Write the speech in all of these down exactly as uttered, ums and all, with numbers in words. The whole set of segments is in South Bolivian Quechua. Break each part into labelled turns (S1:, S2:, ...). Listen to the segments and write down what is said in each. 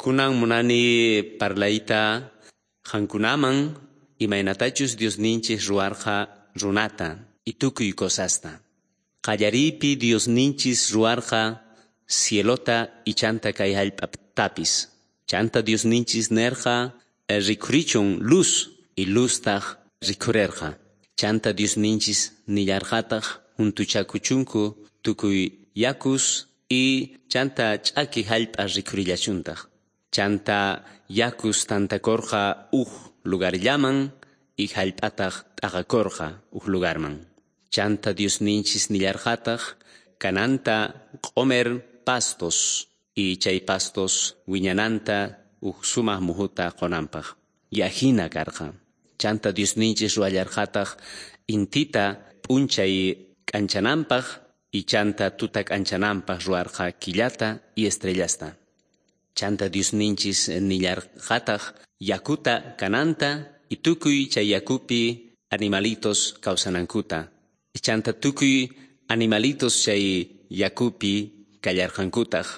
S1: Kunan munani parlayta qankunaman imaynatachus Diosninchis ruwarqa runata y tukuy cosasta. Qallariypi Diosninchis ruwarqa cielota y chanta kay jallp'atapis. Chanta Diosninchis nerqa rikhurichun luz y luztaj rikhurerqa. Chanta Diosninchis nillarqataj juntuchakuchunku tukuy yakus y chanta ch'aki jallp'a rikhurillachuntaj. Chanta yakus tantakorqa uj lugarllaman y jallp'ataj t'aqakorqa uj lugarman. Chanta Diosninchis nillarqataj kananta q'omer pastos y chay pastos wiñananta uj sumaj mujuta qonanpaj. Y ajina karqa. Chanta Diosninchis ruwallarqataj intita p'unchay k'anchananpaj y chanta tuta k'anchananpaj ruwarqa killata y estrellasta. Chanta Diosninchis nillarqataj yakuta kananta y tukuy chay yakupi animalitos kawsanankuta. Chanta tukuy animalitos chay yakupi kallarqankutaj.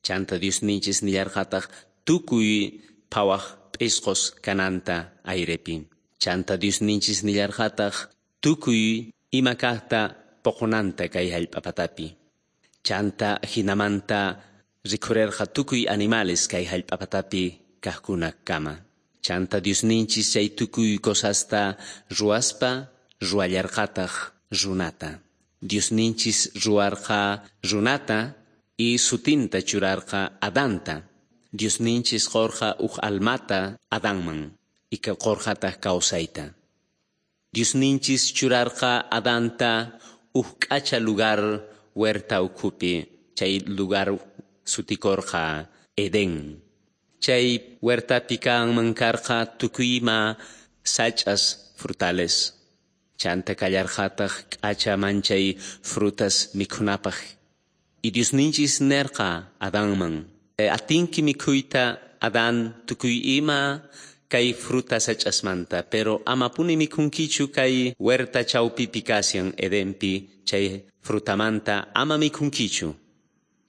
S1: Chanta Diosninchis nillarqataj tukuy phawaj p'isqos kananta airepi. Chanta Diosninchis nillarqataj tukuy ima kajta poqonanta kay jallp'apatapi. Chanta jinamanta rikhurerqa tukuy animales kay jallp'apatapi kajkunakama. Chanta Diosninchis chay tukuy cosasta ruwaspa ruwallarqataj runata. Diosninchis ruwarqa runata y sutinta churarqa Adanta. Diosninchis qorqa uj almata Adanman y qorqataj kawsayta. Diosninchis churarqa Adanta uj k'acha lugar huerta ukhupi, chay lugar sutikorqa Edén. Chay huertapi kanman karqa tukuy ima sach'as frutales. Chanta kallarqataj k'acha manchay frutas mikhunapaj. Y Diosninchis nerqa Adanman, atinki mikhuyta Adán tukuy ima kay fruta sach'asmanta, pero amapuni mikhunkichu kay huerta chawpipi kashan Edenpi chay frutamanta ama mikhunkichu.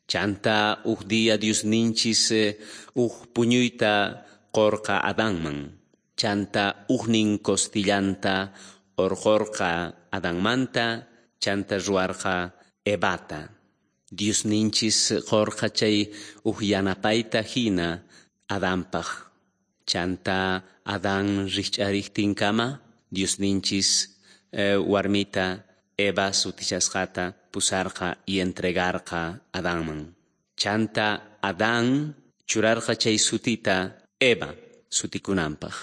S1: Chanta uj día Diosninchis uj puñuyta qorqa Adanman. Chanta ujnin costillanta orqorqa Adanmanta, chanta ruwarqa Evata. Diosninchis qorqa chay uj yanapayta hina Adanpaj. Chanta Adán rijch'arijtinkama Diosninchis eh, warmita Eva sutichasqata pusarqa y entregarqa Adanman. Chanta Adán churarqa chay sutita Eva sutikunanpaj.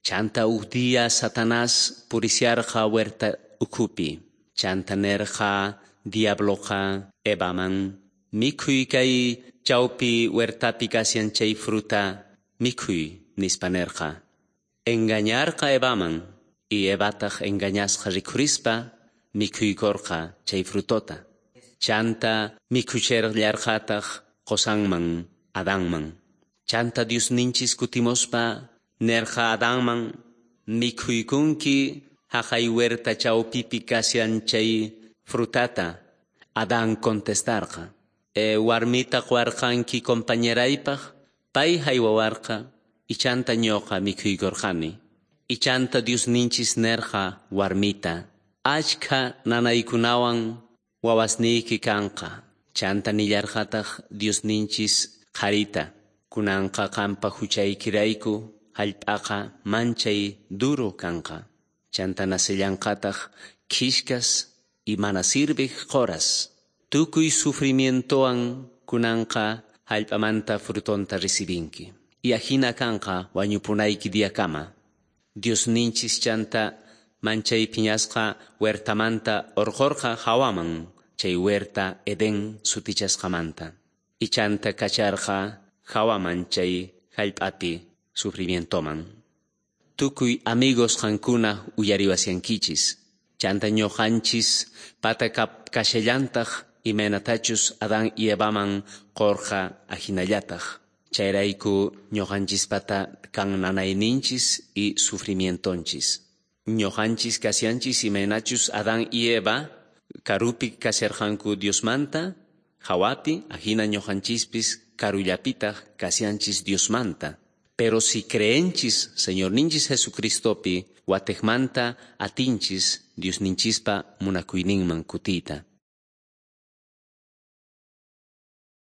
S1: Chanta uj día Satanás purisiarqa huerta ukhupi. Chanta nerqa diabloqa Evaman mikhuy kay chawpi huertapi kashan chay fruta mikhuy nispa nerqa. Engañarqa Evaman y Evataj engañasqa rikhurispa mikhuykorqa chay frutota. Chanta mikhucherllarqataj qosanman Adanman. Chanta Diosninchis kutimospa nerqa Adanman mikhuykunki jaqay huerta chawpipi kashan chay frutata. Adán contestarqa. E, warmita qowarqanki compañeraypaj pay haywawarqa y chanta ñuqa mikhuykorqani. Y chanta Diosninchis nerqa warmita achkha nanaykunawan wawasniyki kanqa. Chanta nillarqataj Diosninchis qharita kunanqa qampa huchaykirayku jallp'aqa manchay duro kanqa. Chanta nacellanqataj khishkas y mana sirvej qoras. Tukuy sufrimientowan kunanqa jallp'amanta frutonta recibinki. Y ajina kanqa wañupunayki diakama. Diosninchis chanta manchay phiñasqa huertamanta orqorqa hawaman chay huerta Edén sutichasqamanta. Y chanta kacharqa hawaman chay jallp'api sufrimientoman. Tukuy amigos qankuna uyariwashankichis. Chanta ñuqanchis pata kashallantaj imaynatachus Adán y Evaman qorqa ajinallataj. Chayrayku ñuqanchispata kan nanayninchis y sufrimientonchis. Ñuqanchis kashanchis imaynachus Adán y Eva karupi kasharqanku Diosmanta, hawapi, ajina ñuqanchispis karullapitaj kashanchis Diosmanta. Pero si creenchis Señorninchis Jesucristopi, watejmanta atinchis Diosninchispa munakuyninman kutiyta.